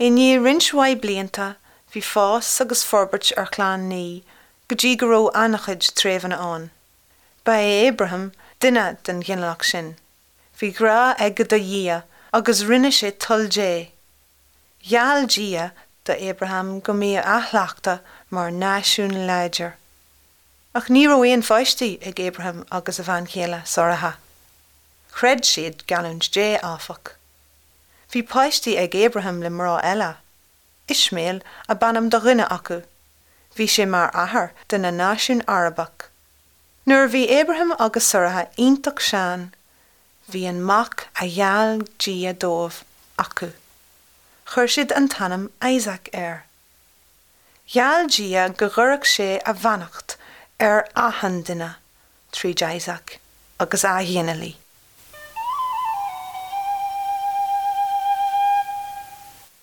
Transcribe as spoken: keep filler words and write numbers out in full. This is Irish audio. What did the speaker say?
I ndiaidh roinnt mhaith blianta bhí fás agus forbairt ar chlann Naoi go dtí go raibh an-chuid treibheanna ann. Ba é Abraham duine den ghinealach sin. Bhí grá aige do Dhia agus rinne sé toil Dé. Gheall Dia do Abraham go mbeadh a shliocht mar náisiún láidir. Ach ní raibh aon pháistí ag Abraham agus a bhean chéile Sáraithe. Chreid siad geallúint Dé áfach. Bhí páistí ag Abraham le mná eile. Ismael ab ainm do dhuine acu. Bhí sé mar athair de na náisiún Arabach. Nuair a bhí Abraham agus Sáraithe iontach sean, bhí an mac a gheall Dia dóibh acu. Chuir siad an t-ainm Isaac air. Gheall Dia go gcuirfeadh sé a bheannacht ar achan duine tríd Isaac agus a ghinealaigh.